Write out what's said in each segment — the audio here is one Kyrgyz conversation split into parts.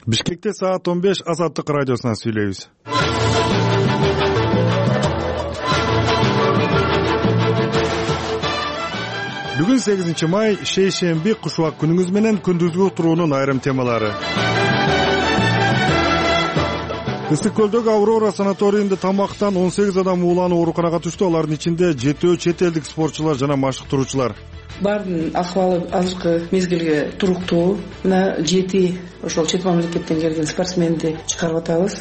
Бишкекте саат 15 Азаттык радиосунан сүйлөйбүз. Бүгүн 8 май шейшемби кушубак күнүңүз менен күндүзгү уктуруунун айрым темалары. Ысык көлдөгү Аврора санаторийинде тамактан 18 адам ууланып ооруканага түштү. Алардын ичинде 7 чет элдик спортчулар жана машыктыруучулар. Бардын акыбалы азыркы мезгилге туруктуу. Мына 7 ошол чет мамлекеттен келген спортсменди чыгарып атабыз.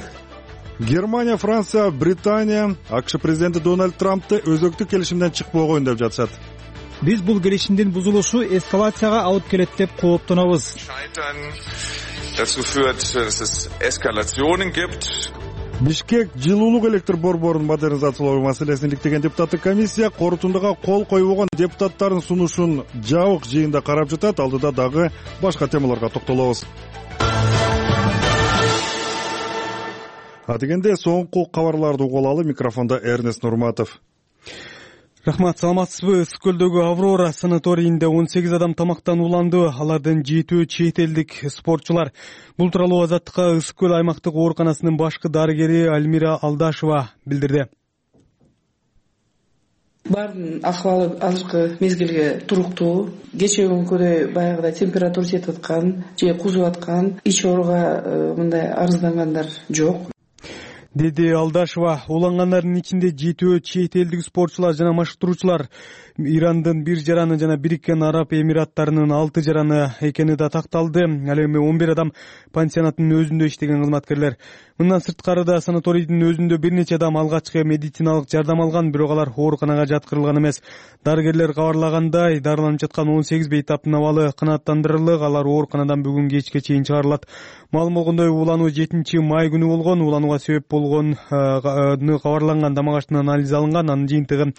Германия, Франция, Британия АКШ президенти Дональд Трампты өзөктүк келишимден чыкпогон деп жатышат. Биз бул келишимдин бузулушу эскалацияга алып келет деп кооптонобуз. Dazu führt, dass es Eskalationen gibt. Бишкек жылуулук электр борборун модернизациялоо маселесин иликтеген депутаттык комиссия корутундуга кол койбогон депутаттардын сунушун жабык жыйында карап жатат. Алдыда дагы башка темаларга токтолобуз. Дегенде соңку кабарларды угуп алалы. Микрофондо Эрнест Нурматов. Рахмат, саламатсызбы? Ысык көлдөгү Аврора санаторийинде 18 адам тамактан ууланды. Алардын 7 чет элдик спортчулар. Бул тууралуу Азаттыкка Ысык көл аймактык ооруканасынын башкы дарыгери Альмира Алдашева билдирди. Бардын акыбалы азыркы мезгилге туруктуу. Кечээ күнкүдөй баягыдай температура жетип аткан же кузуп аткан, ич ооруга мындай арыздангандар жок, деди Алдашева. Уулангандардын ичинде 7 чет элдик спортчулар жана машыктыруучулар. Ирандын 1 жараны жана Бириккен Араб Эмираттарынын 6 жараны экени да такталды. Ал эми 11 адам пансионаттын өзүндө иштеген кызматкерлер. Мындан сырткары да санаторийдин өзүндө бир нече адам алгачкы медициналык жардам алган, бирок алар ооруканага жаткырылган эмес. Дарыгерлер кабарлагандай, дарыланып жаткан 18 бейтаптын абалы канааттандырылык. Алар ооруканадан бүгүн кечке чейин чыгарылат. Маалым болгондой, уулануу 7 май күнү болгон. Ууланууга себеп болгон кабарланган дамагачтын анализи алынган. Анын жыйынтыгы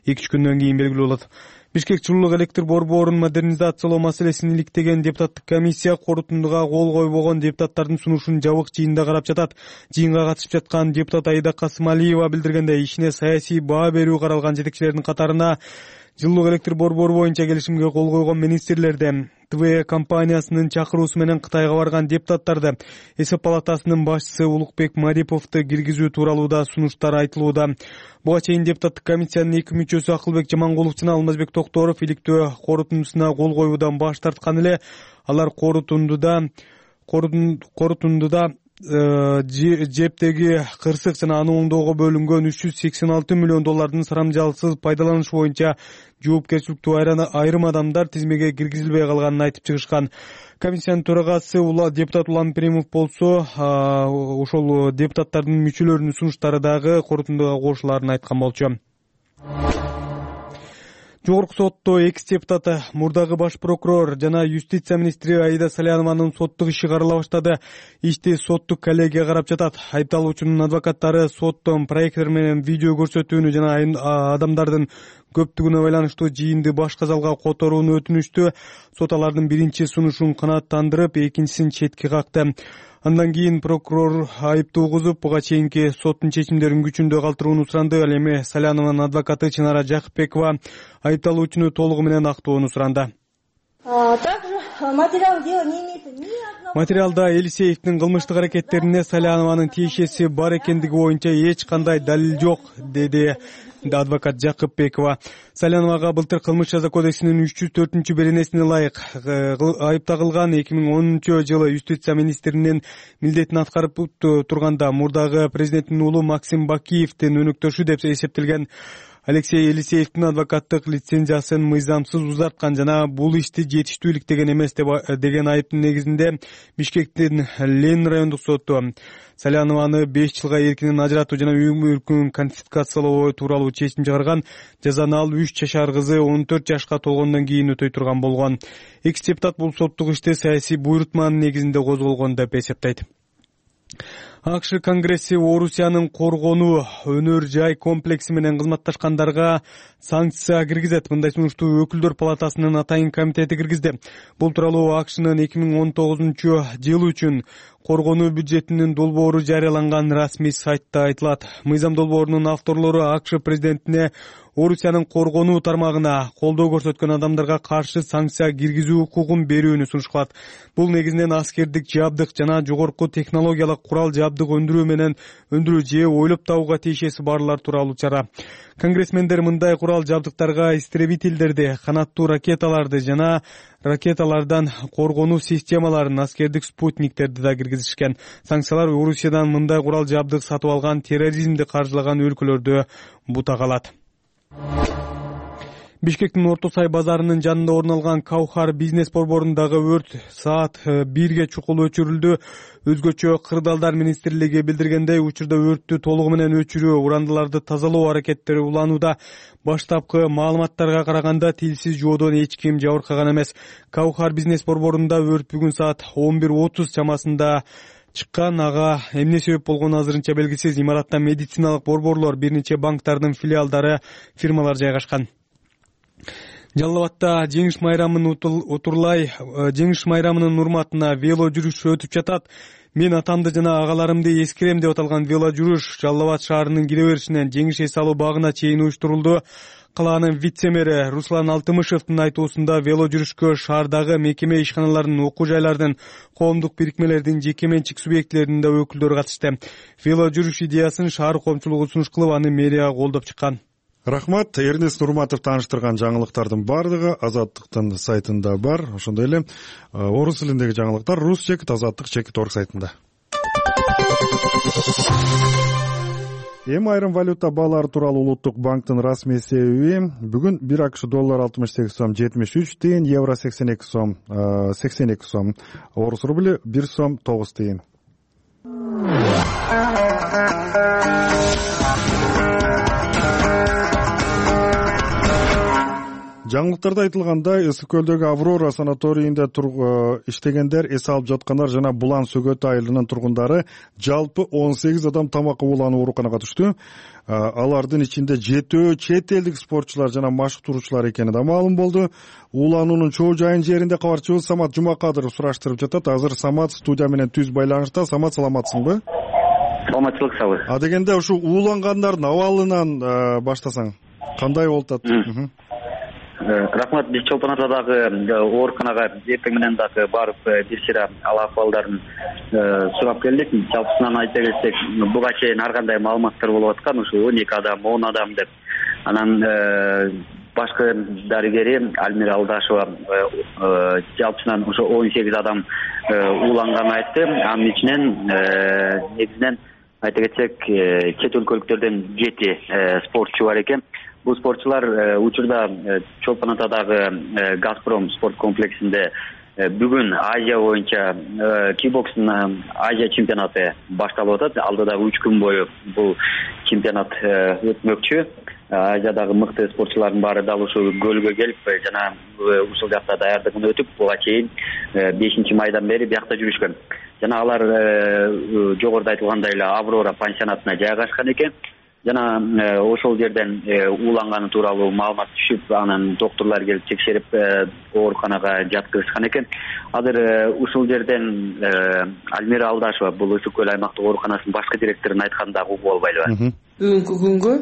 2-3 күндөн кийин белгилүү болот. Бишкек жылуулук электр борборун модернизациялоо маселесин иликтеген депутаттык комиссия корутундуга кол койбогон депутаттардын сунушун жабык жыйында карап жатат. Жыйынга катышып жаткан депутат Аида Касымалиева билдиргендей, ишине саясий баа берүү каралган жетекчилердин катарына жылуулук электр борбору боюнча келишимге кол койгон министрлерди, ТВ компаниясынын чакыруусу менен Кытайга барган депутаттарды, эсеп палатасынын башчысы Улукбек Мариповду киргизүү тууралуу да сунуштар айтылууда. Буга чейин депутаттык комиссиянын 2 мүчөсү Акылбек Жамангулов жана Алмазбек Токторов иликтөө корутундусуна кол коюудан баш тарткан эле. Алар корутундуда жептеги кырсык жана аны оңдоого бөлүнгөн 386 миллион доллардын сарамжалсыз пайдаланыш боюнча жоопкерчиликтүү айрым адамдар тизмеге киргизилбей калганын айтып чыгышкан. Комиссиянын төрагасы депутат Улан Перимов болсо, ошол депутаттардын мүчөлөрүнүн сунуштары дагы корутундуга кошулаарын айткан болчу. Жогорку сотто экс-депутаты, мурдагы баш прокурор жана юстиция министри Аида Салянованын соттук иши карала баштады. Ишти соттук коллегия карап жатат. Айыпталуучунун адвокаттары соттон проекттер менен видео көрсөтүүнү жана адамдардын көптүгүнө байланыштуу жыйынды башка залга которууну өтүнүштү. Сот алардын биринчи сунушун канааттандырып, экинчисин четке какты. Андан кийин прокурор айыптуу кызып, буга чейинки соттун чечимдерин күчүндө калтырууну суранды. Ал эми Салянованын адвокаты Чынара Жакыпбекова айыпталуучуну толугу менен актоону суранды. Материалда Элисеевдин кылмыштык аракеттерине Салянованын тиешеси бар экендиги боюнча эч кандай далил жок, деди адвокат Жакыпбекова. Саляновага былтыр кылмыш жаза кодексинин 304 беренесине ылайык айыпталган 2010 жылы юстиция министринин милдетин аткарып турганда мурдагы президенттин уулу Максим Бакиевдин өнөктөшү деп эсептелген Алексей Елисеевдин адвокаттык лицензиясын мыйзамсыз узарткан жана бул ишти жетиштүү иликтеген эмес деген айыптын негизинде Бишкектин Ленин райондук соту Салянованы 5 жылга эркинен ажыратуу жана үй мүлкүн конфискациялоо тууралуу чечим чыгарган. Жазаны ал 3 жашар кызы 14 жашка толгондон кийин өтөй турган болгон. Экс-депутат бул соттук ишти саясий буйрутманын негизинде козголгон деп эсептейт. АКШ Конгресси Орусиянын коргонуу өнөр жай комплекси менен кызматташкандарга санкция киргизет. Мындай сунушту өкүлдөр палатасынын атайын комитети киргизди. Бул тууралуу АКШнын 2019 жыл үчүн коргонуу бюджетинин долбоору жарыяланган расмий сайтта айтылат. Мыйзам долбоорунун авторлору АКШ президентине Орусиянын коргонуу тармагына колдоо көрсөткөн адамдарга каршы санкция киргизүү укугун берүүнү сунушталат. Бул негизинен аскердик жабдык жана жогорку технологиялык курал жабдык өндүрүү же ойлоп табууга тиешеси барлар тууралуу чара. Конгрессмендер мындай курал жабдыктарга истребительдерди, канаттуу ракеталарды жана ракеталардан коргонуу системаларын, аскердик спутниктерди да киргизишкен. Санкциялар Орусиядан мындай курал жабдык сатып алган, терроризмди каржылаган өлкөлөрдө бута калат. Бишкектин Орто Сай базарынын жанында орун алган Каухар бизнес борборундагы өрт саат 1-ге чукул өчүрүлдү. Өзгөчө кырдаалдар министрлиги билдиргендей, учурда өрттү толугу менен өчүрүү, урандыларды тазалоо аракеттери уланууда. Баштапкы маалыматтарга караганда тилсиз жоодон эч ким жабыркаган эмес. Каухар бизнес борборунда өрт бүгүн саат 11:30 чамасында чыккан. Ага эмне себеп болгону азырынча белгисиз. Имаратта медициналык борборлор, бир нече банктардын филиалдары, фирмалар жайгашкан. Жалал Абадда жеңиш майрамын жеңиш майрамынын урматына вело жүрүш өтүп жатат. Мен атамды жана агаларымды эскерем деп аталган вело жүрүш Жалал Абад шаарынын кире беришинен жеңиш эс алуу багына чейин уюштурулду. Калаанын вице-мэри Руслан Алтымышевдин айтуусунда вело жүрүшкө шаардагы мекеме ишканалардын, окуу жайлардын, коомдук бирикмелердин, жеке менчик субъектилеринин да өкүлдөрү катышты. Вело жүрүш идеясын шаар коомчулугу сунуш кылып, аны мэрия колдоп чыккан. Рахмат. Эрнест Нурматов тааныштырган жаңылыктардын бардыгы Азаттыктын сайтында бар. Ошондой эле орус тилиндеги жаңылыктар rus.azattik.org сайтында. Эми айрым валюта баалары тууралуу Улуттук банктын расмий эсеби бүгүн 1 АКШ доллар 68 сом 73 тыйын, евро 82 сом, орус рубли 1 сом 9 тыйын. Жаңылыктарда айтылгандай, Ысык көлдөгү Аврора санаторийинде иштегендер, эс алып жаткандар жана Булан Сөгөт айылынын тургундары жалпы 18 адам тамакка улануу ооруканага түштү. Алардын ичинде 7 чет элдик спортчулар жана машыктыруучулар экени да маалым болду. Улануунун чоо жайын жеринде кабарчыбыз Самат Жумакадыров сураштырып жатат. Азыр Самат студия менен түз байланышта. Самат, саламатсыңбы? Саламатчылык сабы. Дегенде ушу уулангандардын абалынан баштасаң, кандай болуп атат? Рахмат. Биз Чолпон Атадагы ооруканага эртең менен дагы барып бир сыйра ал акыбалдарын сурап келдик. Жалпысынан айта кетсек, буга чейин ар кандай маалыматтар болуп аткан, ушу 12 адам, 10 адам деп. Анан башкы дарыгери Альмира Алдашева жалпысынан ошо 18 адам ууланганын айтты. Анын ичинен негизинен айта кетсек, чет өлкөлүктөрдөн 7 спортчу бар экен. Бул спортчулар учурда Чолпон Атадагы Газпром спорт комплексинде бүгүн Азия боюнча кикбокстун Азия чемпионаты башталып атат. Алдыда 3 күн бою бул чемпионат өтмөкчү. Азиядагы мыкты спортчулардын баары дал ушул көлгө келип жана ушул жакта даярдыгын өтүп, буга чейин 5-майдан бери биякта жүрүшкөн. Жана алар жогоруда айтылгандай эле Аврора пансионатына жайгашкан экен. Жана ошол жерден ууланганы тууралуу маалымат түшүп, анан доктурлар келип текшерип ооруканага жаткызышкан экен. Азыр ушул жерден Альмира Алдашева, бул Ысык көл аймактык ооруканасынын башкы директорунун айтканында угуп албайлыбы? Бүгүнкү күнгө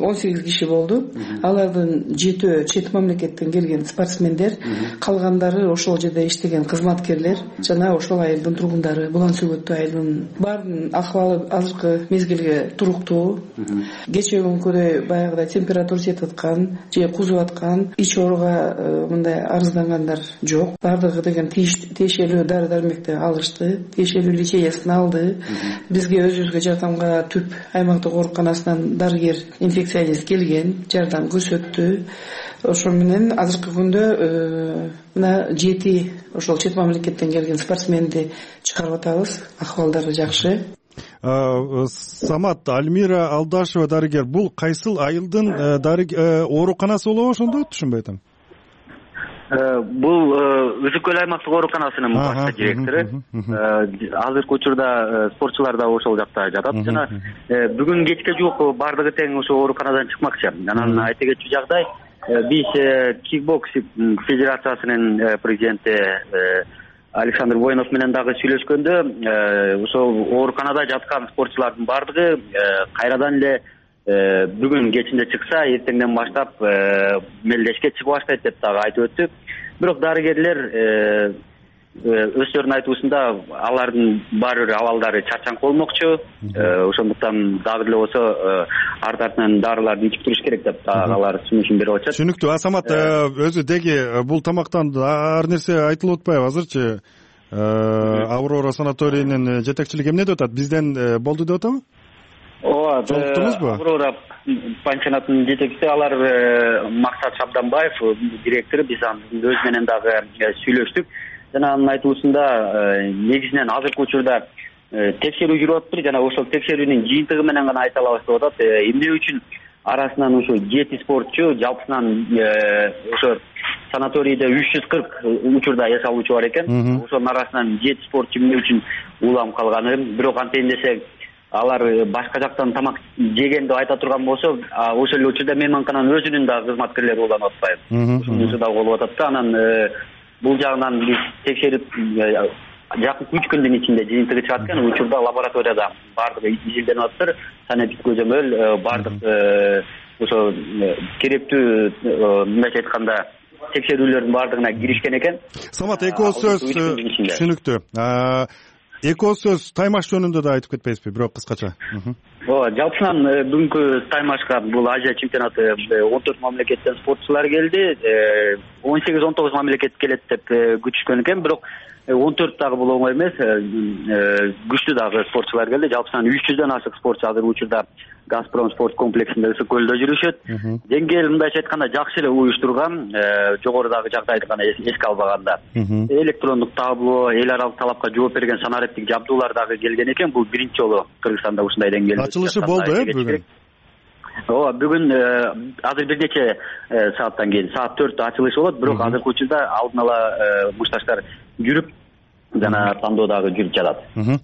18 киши болду. Алардын 7 чет мамлекеттен келген спортсмендер, калгандары ошол жерде иштеген кызматкерлер жана ошол айылдын тургундары, Булан Сөгөт айылынын. Баардын акыбалы азыркы мезгилге туруктуу. Кечээ күнкүдөй баягыдай температура жетип аткан же кузуп аткан, ич ооруга мындай арыздангандар жок. Бардыгы деген тиешелүү дары-дармекти алышты, тиешелүү лечениясын алды. Бизге өзүбүзгө жардамга түп аймактык ооруканасынан дарыгер инфекционист келген, жардам көрсөттү. Ошол менен азыркы күндө мына 7 ошол чет мамлекеттен келген спортсменди чыгарып атабыз. Акыбалдары жакшы. Самат, Альмира Алдашева дарыгер, бул кайсыл айылдын ооруканасы болобу ошондо? Түшүнбөй атам. Бул Ысык көл аймактык ооруканасынын башкы директору. Азыркы учурда спортчулар да ошол жакта жатат. Жана бүгүн кечке жуук бардыгы тең ошол ооруканадан чыкмакчы. Анан айта кетчү жагдай, биз кикбокс федерациясынын президенти Александр Воинов менен дагы сүйлөшкөндө ошол ооруканада жаткан спортчулардын баардыгы кайрадан эле бүгүн кечинде чыкса эртеңден баштап мелдешке чыгып баштайт деп дагы айтып өттү. Бирок дарыгерлер өздөрүнүн айтуусунда алардын баары бир абалдары чарчаңкы болмокчу. Ошондуктан дагы деле болсо арт артынан дарыларды ичип туруш керек деп алар сунушун берип атышат. Түшүнүктүү. Асамат өзү деги бул тамактан ар нерсе айтылып атпайбы азырчы? Аврора санаторийинин жетекчилиги эмне деп атат? Бизден болду деп атабы? Ооба, жолуктуңузбу? Аврора пансионатынын жетекчиси алар Максат Шабданбаев, директору, биз өз менен дагы сүйлөштүк. Жана анын айтуусунда негизинен азыркы учурда текшерүү жүрүп атыптыр. Жана ошол текшерүүнүн жыйынтыгы менен гана айта алабыз деп атат. Эмне үчүн арасынан ошо 7 спортчу жалпысынан ошо санаторийде 340 учурда эс алуучу бар экен. Ошонун арасынан 7 спортчу эмне үчүн улам калганы, бирок антейин десек алар башка жактан тамак жеген деп айта турган болсо, ошол эле учурда мейманкананын өзүнүн дагы кызматкерлери уланып атпайбы. Ошонусу дагы болуп атат да. Анан бул жагынан биз текшерип жакынкы 3 күндүн ичинде жыйынтыгы чыгат экен. Учурда лабораторияда баардыгы изилденип атыптыр. Санэпид көзөмөл баардык ошо керектүү мындайча айтканда текшерүүлөрдүн баардыгына киришкен экен. Самат, эки сөз түшүнүктүү. Эки сөз таймаш жөнүндө да айтып кетпейсизби, бирок кыскача? Ооба, жалпысынан бүгүнкү таймашка бул Азия чемпионаты 14 мамлекеттен спортчулар келди. 18-19 мамлекет келет деп күтүшкөн экен, бирок 14 дагы бул оңой эмес. Күчтүү дагы спортчулар келди. Жалпысынан 300дөн ашык спортчу азыр учурда Газпром спорт комплексинде ысык көлдө жүрүшөт. Деңгээл мындайча айтканда жакшы эле уюштурган, жогорудагы жагдайды гана эске албаганда. Электрондук табло, эл аралык талапка жооп берген санариптик жабдуулар дагы келген экен. Бул биринчи жолу Кыргызстанда ушундай деңгээлде. Ачылышы болду бүгүн? Ооба, бүгүн азыр бир нече сааттан кийин, саат 4-тө ачылышы болот, бирок азыркы учурда алдын ала мушташтар жүрүп жана тандоо дагы жүрүп жатат.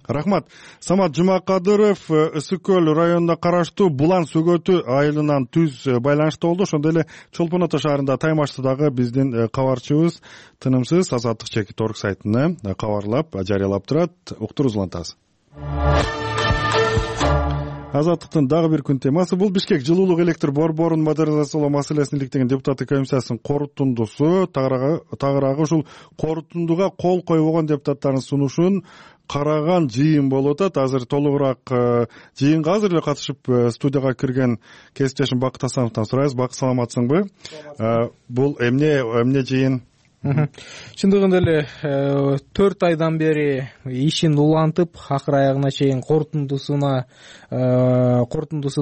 Рахмат. Самат Жумакадыров Ысык көл районуна караштуу Булан Сөгөтү айылынан түз байланышта болду. Ошондой эле Чолпон Ата шаарында таймашты дагы биздин кабарчыбыз тынымсыз Азаттык чекит орг сайтына кабарлап, жарыялап турат. Уктуруңуз улантабыз. Азаттыктын дагы бир күн темасы бул Бишкек жылуулук электр борборун модернизациялоо маселесин иликтеген депутаттык комиссиясынын корутундусу. Тагыраагы ушул корутундуга кол койбогон депутаттардын сунушун караган жыйын болуп атат. Азыр толугураак жыйынга азыр эле катышып студияга кирген кесиптешим Бакыт Асановдон сурайбыз. Бакыт, саламатсыңбы? Бул эмне жыйын? Чындыгында эле 4 айдан бери ишин улантып, акыр аягына чейин корутундусун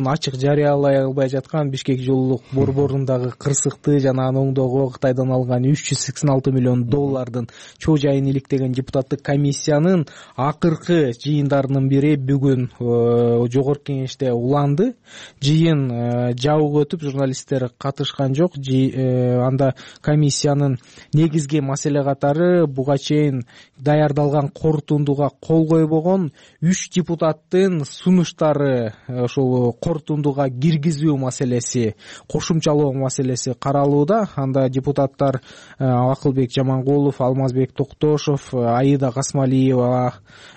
ачык жарыялай албай жаткан Бишкек жылуулук борборундагы кырсыкты жана аны оңдоого Кытайдан алган $386 миллион чоо жайын иликтеген депутаттык комиссиянын акыркы жыйындарынын бири бүгүн жогорку кеңеште уланды. Жыйын жабык өтүп, журналисттер катышкан жок. Анда комиссиянын негизги маселе катары буга чейин даярдалган корутундуга кол койбогон 3 депутаттын сунуштары, ошол корутундуга киргизүү маселеси, кошумчалоо маселеси каралууда. Анда депутаттар Акылбек Жамангулов, Алмазбек Токтошов, Аида Касмалиева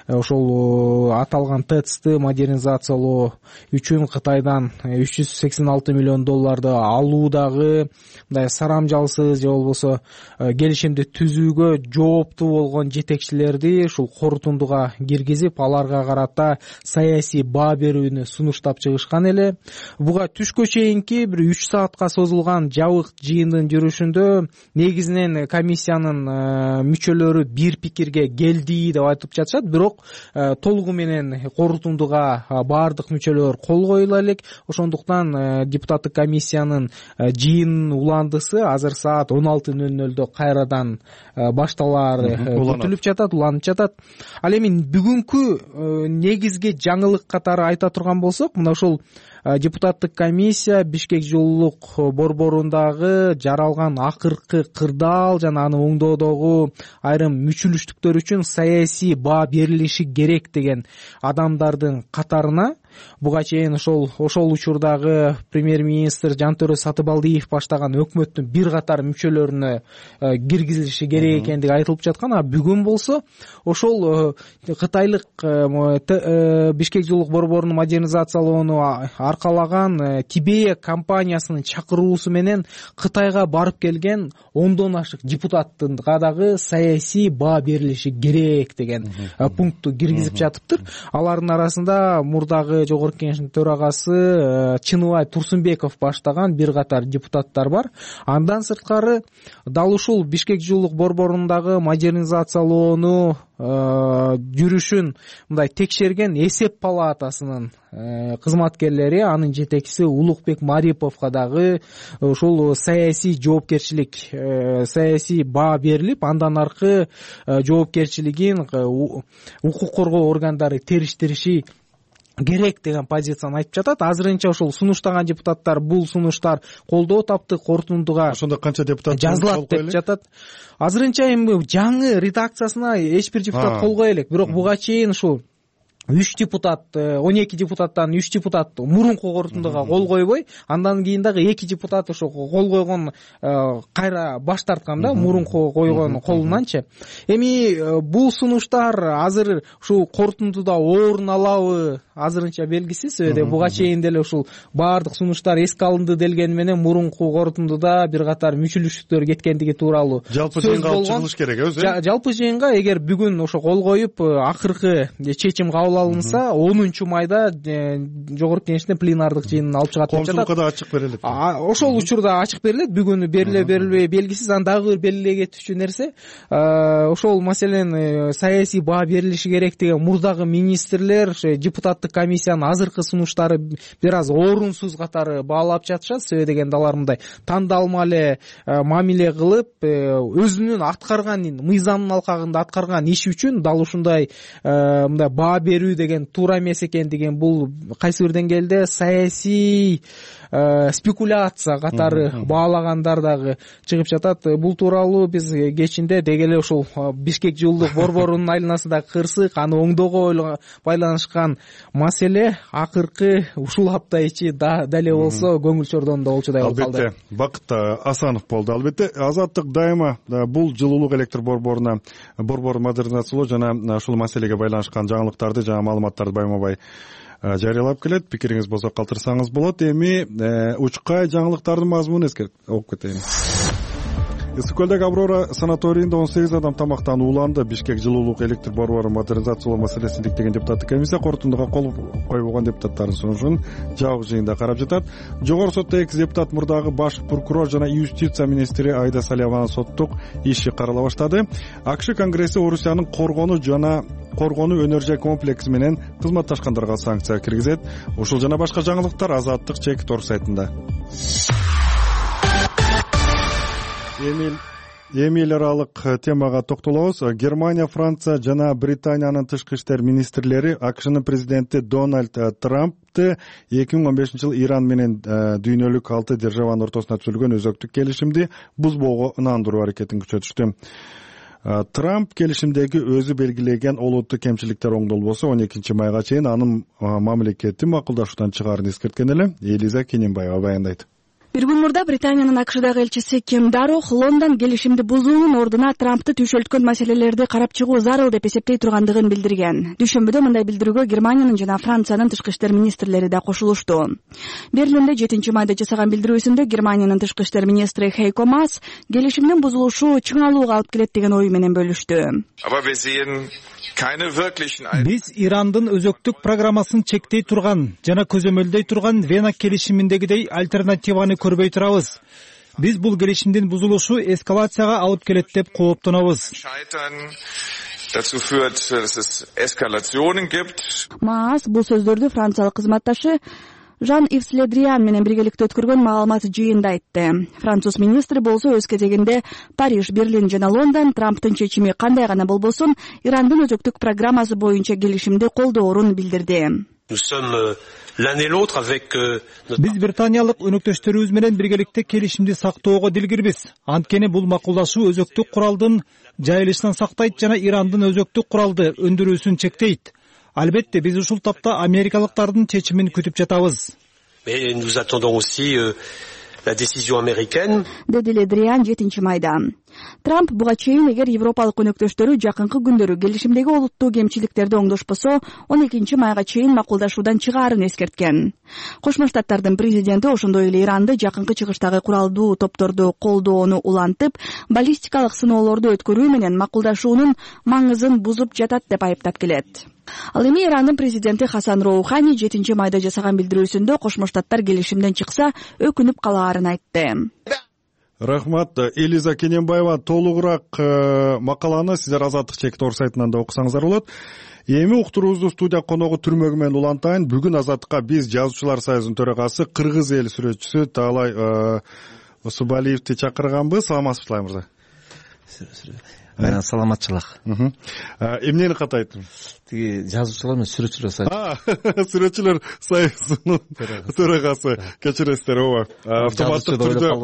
ошол аталган ТЭЦты модернизациялоо үчүн Кытайдан $386 миллион алуудагы мындай сарамжалсыз же болбосо келишимди түзүүгө жооптуу болгон жетекчилерди ушул корутундуга киргизип, аларга карата саясий баа берүүнү сунуштап чыгышкан эле. Буга түшкө чейинки бир 3 саатка созулган жабык жыйындын жүрүшүндө негизинен комиссиянын мүчөлөрү бир пикирге келди деп айтып жатышат, бирок толугу менен корутундуга баардык мүчөлөр кол коюла элек. Ошондуктан депутаттык комиссиянын жыйын уландысы азыр саат 16:00 кайрадан башталаар күтүлүп жатат, уланып жатат. Ал эми бүгүнкү негизги жаңылык катары айта турган болсок, мына ушул депутаттык комиссия Бишкек жылуулук борборундагы жаралган акыркы кырдаал жана аны оңдоодогу айрым мүчүлүштүктөр үчүн саясий баа берилиши керек деген адамдардын катарына буга чейин ошол учурдагы премьер-министр Жантөрө Сатыбалдиев баштаган өкмөттүн бир катар мүчөлөрүнө киргизилиши керек экендиги айтылып жаткан. А бүгүн болсо ошол кытайлык Бишкек жылуулук борборунун модернизациялоону аркалаган Тибея компаниясынын чакыруусу менен Кытайга барып келген 10дон ашык депутаттынга дагы саясий баа берилиши керек деген пунктту киргизип жатыптыр. Алардын арасында мурдагы Жогорку Кеңештин төрагасы Чыныбай Турсунбеков баштаган бир катар депутаттар бар. Андан сырткары дал ушул Бишкек жылуулук борборундагы модернизациялоону жүрүшүн мындай текшерген эсеп палатасынын кызматкерлери, анын жетекчиси Улукбек Мариповго дагы ушул саясий жоопкерчилик, саясий баа берилип, андан аркы жоопкерчилигин укук коргоо органдары териштириши керек деген позицияны айтып жатат. Азырынча ошол сунуштаган депутаттар бул сунуштар колдоо тапты, корутундуга ошондо канча депутат жазылат деп жатат. Азырынча эми жаңы редакциясына эч бир депутат кол кое элек, бирок буга чейин ушул 3 депутат, 12 депутаттан 3 депутат мурунку корутундуга кол койбой, андан кийин дагы 2 депутат ошо кол койгон кайра баш тарткан да, мурунку койгон колунанчы. Эми бул сунуштар азыр ушул корутундуда орун алабы азырынча белгисиз. Буга чейин деле ушул баардык сунуштар эске алынды делгени менен мурунку корутундуда бир катар мүчүлүштүктөр кеткендиги тууралуу жалпы жыйынга алып чыгылыш керек өзү. Жалпы жыйынга эгер бүгүн ошо кол коюп акыркы чечим кабыл алынса 10 майда Жогорку Кеңештин пленардык жыйынын алып чыгат деп жатат. Коомчулукка да ачык берилет. Ошол учурда ачык берилет. Бүгүн берилбей белгисиз. Анан дагы бир белгилей кетүүчү нерсе, ошол маселен саясий баа берилиши керек деген мурдагы министрлер депутаттык комиссиянын азыркы сунуштары бир аз орунсуз катары баалап жатышат. Себеби дегенде алар мындай тандалма эле мамиле кылып, өзүнүн аткарган мыйзамдын алкагында аткарган иши үчүн дал ушундай мындай баа берүү деген туура эмес экендигин, бул кайсы бир деңгээлде саясий спекуляция катары баалагандар дагы чыгып жатат. Бул тууралуу биз кечинде деги эле ушул Бишкек жылуулук борборунун айланасындагы кырсык, аны оңдоого байланышкан маселе акыркы ушул апта ичи дале болсо көңүл чордонууда болчудай болуп калды. Албетте, Бакыт Асанов болду. Албетте, Азаттык дайыма бул жылуулук электр борборун модернизациялоо жана ушул маселеге байланышкан жаңылыктарды, жаңы маалыматтарды байма-бай жарыялап келет. Пикириңиз болсо калтырсаңыз болот. Эми учкай жаңылыктардын мазмунун окуп кетейин. Ысык көлдөгү Аврора санаторийинде 18 адам тамактанып уланды. Бишкек жылуулук электр борборун модернизациялоо маселесин иликтеген депутаттык комиссия корутундуга кол койбогон депутаттардын сунушун жабык жыйында карап жатат. Жогорку сотто 2 депутат мурдагы баш прокурор жана юстиция министри Айда Салиеванын соттук иши карала баштады. АКШ Конгресси Орусиянын коргонуу энергия комплекси менен кызматташкандарга санкция киргизет. Ушул жана башка жаңылыктар Азаттык Чек.org сайтында. Эми эл аралык темага токтолобуз. Германия, Франция жана Британиянын тышкы иштер министрлери АКШнын президенти Дональд Трампты 2015-жылы Иран менен дүйнөлүк 6 державанын ортосуна түзүлгөн өзөктүк келишимди бузбоого ынандыруу аракетин күчөтүштү. Трамп келишимдеги өзү белгилеген олуттуу кемчиликтер оңдолбосо 12 майга чейин анын мамлекети макулдашуудан чыгаарын эскерткен эле. Элиза Кененбаева баяндайт. Бир күн мурда Британиянын АКШдагы элчиси Ким Дарох Лондон келишимди бузуунун ордуна Трампты түйшөлткөн маселелерди карап чыгуу зарыл деп эсептей тургандыгын билдирген. Дүйшөмбүдө мындай билдирүүгө Германиянын жана Франциянын тышкы иштер министрлери да кошулушту. Берлинде 7 майда жасаган билдирүүсүндө Германиянын тышкы иштер министри Хейко Маас келишимдин бузулушу чыңалууга алып келет деген ою менен бөлүштү. Биз Ирандын өзөктүк программасын чектей турган жана көзөмөлдөй турган Вена келишиминдегидей альтернативаны көрбөй турабыз. Биз бул келишимдин бузулушу эскалацияга алып келет деп кооптонобуз. Маас бул сөздөрдү франциялык кызматташы Жан-Ив Ледриан менен биргеликте өткөргөн маалымат жыйында айтты. Француз министри болсо өз кезегинде Париж, Берлин жана Лондон Трамптын чечими кандай гана болбосун Ирандын өзөктүк программасы боюнча келишимди колдоорун билдирди. Биз британиялык өнөктөштөрүбүз менен биргеликте келишимди сактоого дилгирбиз. Анткени бул макулдашуу өзөктүк куралдын жайылышынан сактайт жана Ирандын өзөктүк куралды өндүрүүсүн чектейт. Албетте биз ушул тапта америкалыктардын чечимин күтүп жатабыз. Деди Ледриан 7-майда. Трамп буга чейин эгер европалык өнөктөштөрү жакынкы күндөрү келишимдеги олуттуу кемчиликтерди оңдошпосо, 12-майга чейин макулдашуудан чыгаарын эскерткен. Кошмо Штаттардын президенти ошондой эле Иранды жакынкы чыгыштагы куралдуу топторду колдоону улантып, баллистикалык сыноолорду өткөрүү менен макулдашуунун маңызын бузуп жатат деп айыптап келет. Ал эми Ирандын президенти Хасан Роухани 7-майда жасаган билдирүүсүндө Кошмо Штаттар келишимден чыкса өкүнүп калаарын айтты. Рахмат. Элиза Кененбаева толугураак макаланы сиздер Азаттык чекит ор сайтынан да окусаңыздар болот. Эми уктуруубузду студия коногу түрмөгү менен улантайын. Бүгүн Азаттыкка биз жазуучулар союзунун төрагасы, кыргыз эл сүрөтчүсү Таалай Усубалиевди чакырганбыз. Саламатсызбы, мырза? Саламатчылык. Эмнени катайт? Тиги жазуучулар менен сүрөтчүлөр союзу. Сүрөтчүлөр союзунун төрагасы. Кечиресиздер, ооба. Автоматтык түрдө.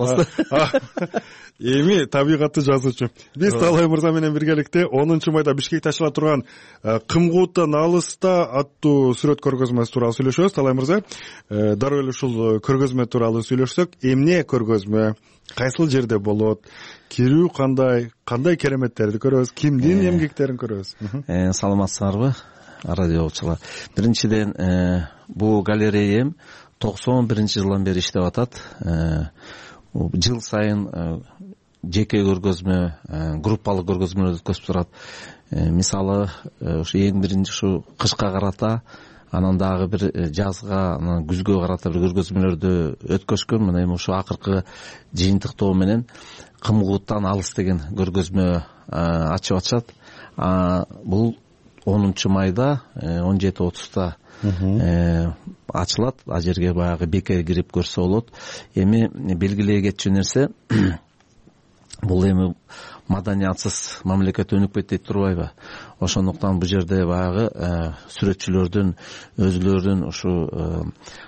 Эми табигатты жазуучу. Биз Таалай мырза менен биргеликте 10-майда Бишкек ташыла турган Кымкууттан алыста аттуу сүрөт көргөзмөсү тууралуу сүйлөшөбүз. Таалай мырза, дароо эле ушул көргөзмө тууралуу сүйлөшсөк, эмне көргөзмө, кайсыл жерде болот, кирүү кандай кереметтерди көрөбүз, кимдин эмгектерин көрөбүз? Саламатсыңарбы, радиочулар? Биринчиден, бул галереям 91-жылдан бери иштеп атат. Жыл сайын жеке көргөзмө, группалык көргөзмөлөр өткөзүп турат. Мисалы, ушу эң биринчи ушу кышка карата, анан дагы бир жазга, анан күзгө карата бир көргөзмөлөрдү өткөзгөн. Мына эми ушу акыркы жыйынтыктоо менен Кымкууттан алыс деген көргөзмө ачып атышат. Бул 10-майда 17:30 ачылат. А жерге баягы бекер кирип көрсө болот. Эми белгилей кетчү нерсе, бул эми маданиятсыз мамлекет өнүкпөйт дейт турбайбы? Ошондуктан бул жерде баягы сүрөтчүлөрдүн өзүлөрүнүн ушу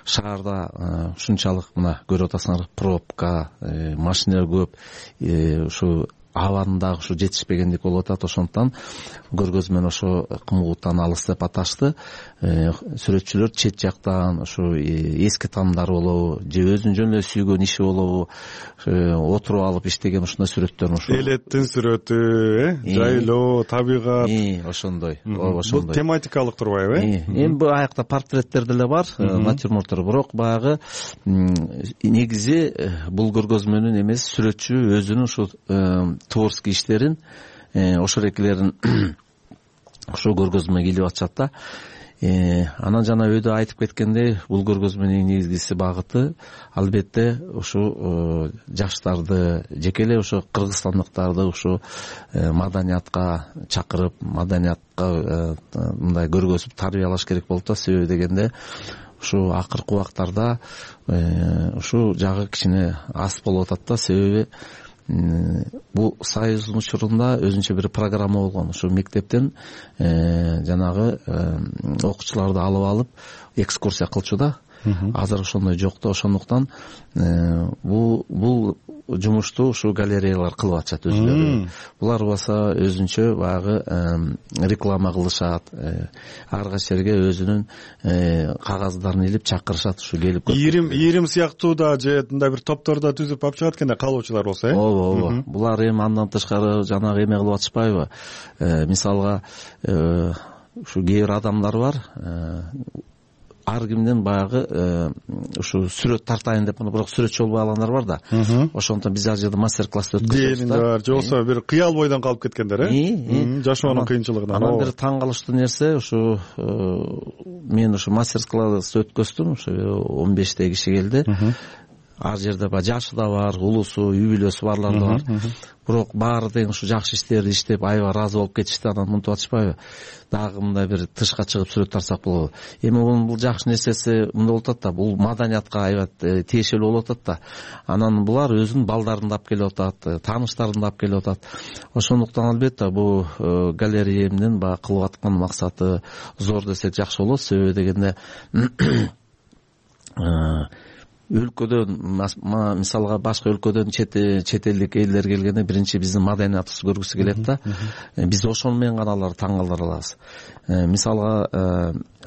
шаарда ушунчалык мына көрүп атасыңар, пробка, машиналар көп, ушу абанын дагы ушу жетишпегендик болуп атат. Ошондуктан көргөзмөнү ошо Кымкууттан алыс деп аташты. Сүрөтчүлөр чет жактан ушу эски таанымдар болобу, же өзүнүн жөн эле сүйгөн иши болобу, отуруп алып иштеген ушундай сүрөттөрүн ушу элеттин сүрөтү, жайлоо, табигат, ошондой. Бул тематикалык турбайбы? Эми бул аякта портреттер деле бар, натюрморттор, бирок баягы негизи бул көргөзмөнүн эмес, сүрөтчү өзүнүн ушу творческий иштерин, ошол экилерин ошо көргөзмөгө илип атышат да. Анан жана өйдө айтып кеткендей, бул көргөзмөнүн негизгиси багыты албетте ушу жаштарды, жеке эле ушу кыргызстандыктарды ушу маданиятка чакырып, маданиятка мындай көргөзүп тарбиялаш керек болуп да. Себеби дегенде ушу акыркы убактарда ушу жагы кичине аз болуп атат да. Себеби бул союздун учурунда өзүнчө бир программа болгон. Ушу мектептен жанагы окуучуларды алып экскурсия кылчу да. Азыр ошондой жок да. Ошондуктан бул жумушту ушу галереялар кылып атышат өзүлөрү. Булар болсо өзүнчө баягы реклама кылышат. Ар кайсы жерге өзүнүн кагаздарын илип чакырышат, ушу келип ийрим сыяктуу да же мындай бир топторду түзүп алып чыгат экен да, калуучулар болсо, Ооба. Булар эми андан тышкары жанагы эме кылып атышпайбы? Мисалга ушу кээ бир адамдар бар, ар кимден баягы ушу сүрөт тартайын деп, бирок сүрөтчү болбой алгандар бар да. Ошондуктан биз ал жерде мастер-класс өткөзөбүз да. Же болсо бир кыял бойдон калып кеткендер, жашоонун кыйынчылыгынан. Анан бир таң калыштуу нерсе, ушу мен ушу мастер-класс өткөздүм, ушу 15 киши келди. ар жерде баягы жашы да бар, улусу, үй бүлөсү барлар да бар. Бирок баары тең ушу жакшы иштерди иштеп аябай ыраазы болуп кетишти. Анан мынтип атышпайбы? Дагы мындай бир тышка чыгып сүрөт тартсак болобу? Эми бул жакшы нерсеси мындай болуп атат да, бул маданиятка аябай тиешелүү болуп атат да. Анан булар өзүнүн балдарын да алып келип атат, тааныштарын да алып келип атат. Ошондуктан албетте бул галереямдын баягы кылып аткан максаты зор десек жакшы болот. Себеби дегенде өлкөдөн мисалга башка өлкөдөн чет элдик элдер келгенде биринчи биздин маданиятыбызды көргүсү келет да. Биз ошону менен гана аларды таң калтыра алабыз. Мисалга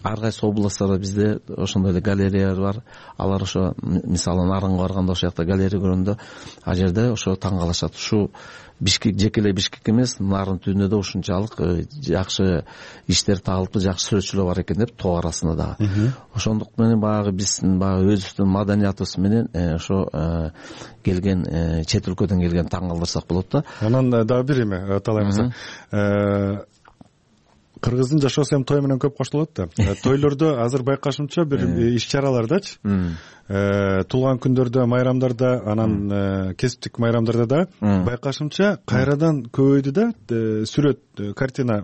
ар кайсы областтарда бизде ошондой эле галереялар бар. Алар ошо мисалы Нарынга барганда ошол жакта галерея көргөндө ал жерде ошо таң калышат. Ушу Бишкек жеке эле Бишкек эмес, Нарын түбүндө да ушунчалык жакшы иштер табылыпты, жакшы сүрөтчүлөр бар экен деп тоо арасында дагы. Ошондук менен баягы биздин өзүбүздүн маданиятыбыз менен ошо келген чет өлкөдөн келген таң калтырсак болот да. Анан дагы бир эме талайбыз. Кыргыздын жашоосу эми той менен көп коштолот да. Тойлордо азыр байкашымча бир иш-чаралардачы, туулган күндөрдө, майрамдарда, анан кесиптик майрамдарда да байкашымча кайрадан көбөйдү да сүрөт, картина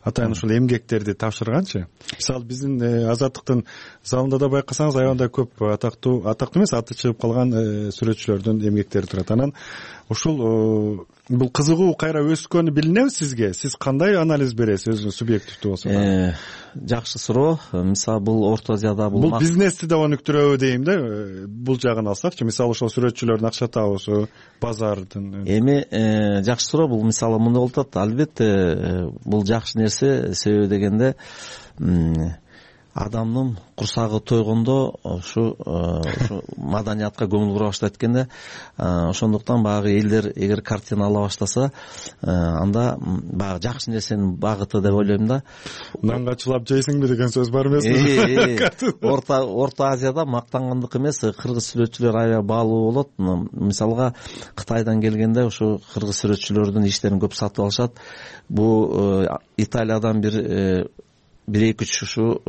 атайын ушул эмгектерди тапшырганчы. Мисалы биздин Азаттыктын залында да байкасаңыз аябай көп атактуу эмес, аты чыгып калган сүрөтчүлөрдүн эмгектери турат. Анан ушул бул кызыгуу кайра өскөнү билинеби сизге? Сиз кандай анализ бересиз өзүңүз субъективдүү болсо да? Жакшы суроо. Мисалы бул Орто Азияда бул бизнести да өнүктүрөбү дейм да. Бул жагын алсакчы, мисалы ошол сүрөтчүлөрдүн акча табуусу, базардын. Эми жакшы суроо. Бул мисалы мындай болуп атат. Албетте бул жакшы нерсе. Себеби дегенде адамдын курсагы тойгондо ушу маданиятка көңүл бура баштайт экенде. Ошондуктан баягы элдер эгер картина ала баштаса, анда баягы жакшы нерсенин багыты деп ойлойм да. Нанга чылап жейсиңби деген сөз бар эмеспи? Орто Азияда мактангандык эмес, кыргыз сүрөтчүлөр аябай баалуу болот. Мисалга Кытайдан келгенде ушу кыргыз сүрөтчүлөрдүн иштерин көп сатып алышат. Бул Италиядан бир эки ушу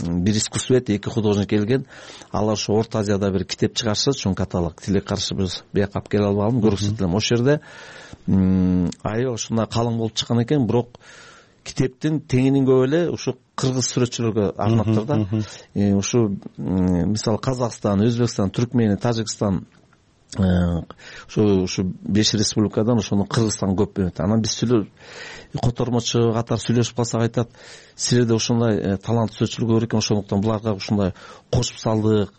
бир искусствовед, эки художник келген. Алар ошо Орто Азияда бир китеп чыгарышат, чоң каталог. Тиле каршы биз бияка алып келе албадым, көрсөтө элем. Ошол жерде аябай ушундай калың болуп чыккан экен, бирок китептин теңинин көп эле ушу кыргыз сүрөтчүлөргө арнаптыр да. Ушу мисалы Казакстан, Өзбекстан, Түркмения, Тажикстан, ушу 5 республикадан ошону Кыргызстан көп берет. Анан биз котормочу катар сүйлөшүп калсак айтат, силерде ушундай талант сүрөтчүлөр көп экен, ошондуктан буларга ушундай кошуп салдык.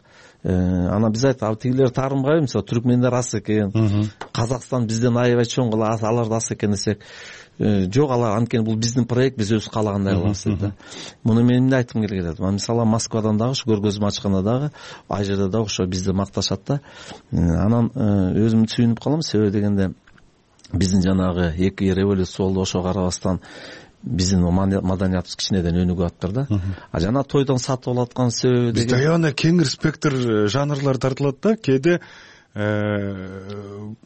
Анан биз айттык, тигилер таарынбайбы, мисалы түркмендер аз экен, Казакстан бизден аябай чоң, алар да аз экен десек, жок, алар анткени бул биздин проект, биз өзүбүз каалагандай кылабыз деп. Муну мен эмне айткым келет? Мисалы Москвадан дагы ушу көргөзмө ачканда дагы ал жерде дагы ошо бизди макташат да. Анан өзүм сүйүнүп калам, себеби дегенде биздин жанагы эки революция болду, ошого карабастан биздин маданиятыбыз кичинеден өнүгүп атыптыр да. Жана тойдон сатып алаткан себеби бизде аябай кеңир спектр жанрлар тартылат да. Кээде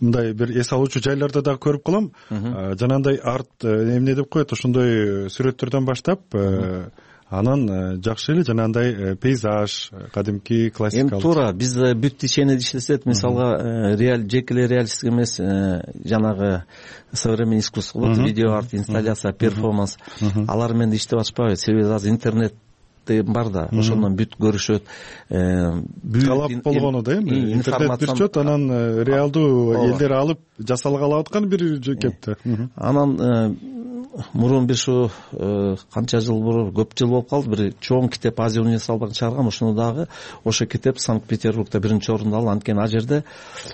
мындай бир эс алуучу жайларда дагы көрүп калам. Жанагындай арт эмне деп коет, ошондой сүрөттөрдөн баштап анан жакшы эле жанагындай пейзаж, кадимки классикалык. Эми туура, биз бүт течение иштесек, мисалга жеке эле реалистик эмес, жанагы современный искусство болот, видео арт, инсталляция, перформанс, алар менен иштеп атышпайбы? Себеби азыр интернет бар да, ошондон бүт көрүшөт. Талап болгону да эми интернет бир чөт, анан реалдуу элдер алып жасалгалы аткан бир кепте. Анан мурун бир ушу канча жыл мурун, көп жыл болуп калды, бир чоң китеп Азия универсалдыгы чыгарган. Ошону дагы ошо китеп Санкт-Петербургда биринчи орунду алды. Анткени ал жерде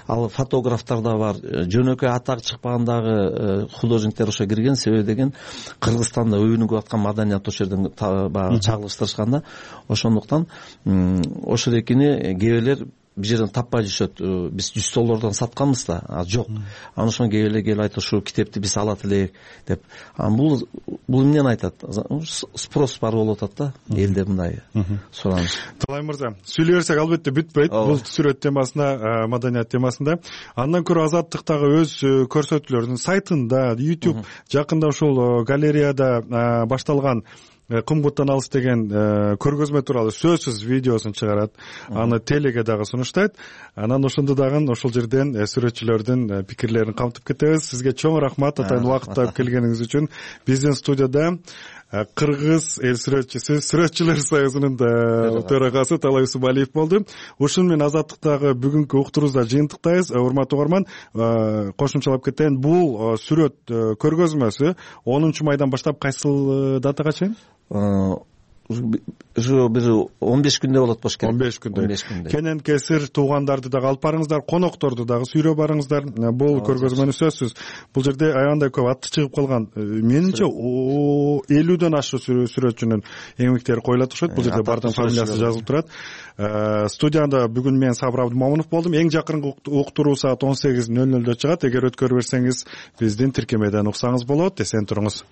ал фотографтар да бар, жөнөкөй атак чыкпагандагы художниктер ошо кирген. Себеби деген Кыргызстанда өнүгүп аткан маданият ошол жерден баягы чагылыштырышкан да. Ошондуктан ошол экини кээ бир жерден таппай жүрүшөт. Биз $100 сатканбыз да, жок. Анан ошон келип айтат, ушул китепти биз алат элек деп. Бул эмнени айтат? Спрос бар болуп атат да, элде мындай сураныч. Талай мырза, сүйлөй берсек албетте бүтпөйт бул сүрөт темасында, маданият темасында. Андан көрө Азаттыктагы өз көрсөтүүлөрүнүн сайтында, YouTube жакында ушул галереяда башталган кымбыттан алыс деген көргөзмө тууралуу сөзсүз видеосун чыгарат, аны телеге дагы сунуштайт. Анан ошондо дагы ошол жерден сүрөтчүлөрдүн пикирлерин камтып кетебиз. Сизге чоң рахмат атайын убакыт таап келгениңиз үчүн. Биздин студияда Кыргыз эл сүрөтчүсү, Сүрөтчүлөр союзунун төрагасы Талай Усубалиев болду. Ушун менен Азаттыктагы бүгүнкү уктуруубузда жыйынтыктайбыз. Урматтуу угарман, кошумчалап кетейин, бул сүрөт көргөзмөсү 10 майдан баштап кайсыл датага чейин? Уже бир 15 күндө болот болуш керек. 15 күндө. Кенен кесир туугандарды дагы алып барыңыздар, конокторду дагы сүйрөп барыңыздар. Бул көргөзмөнү сөзсүз. Бул жерде аябандай көп аты чыгып калган. Менимче 50дөн ашык сүрөтчүнүн эмгектери коюлат окшойт. Бул жерде бардын фамилиясы жазылып турат. Студияда бүгүн мен Сабыр Абдымамунов болдум. Эң жакынкы уктуруу саат 18:00 чыгат. Эгер өткөрүп берсеңиз, биздин тиркемеден уксаңыз болот. Эсен туруңуз.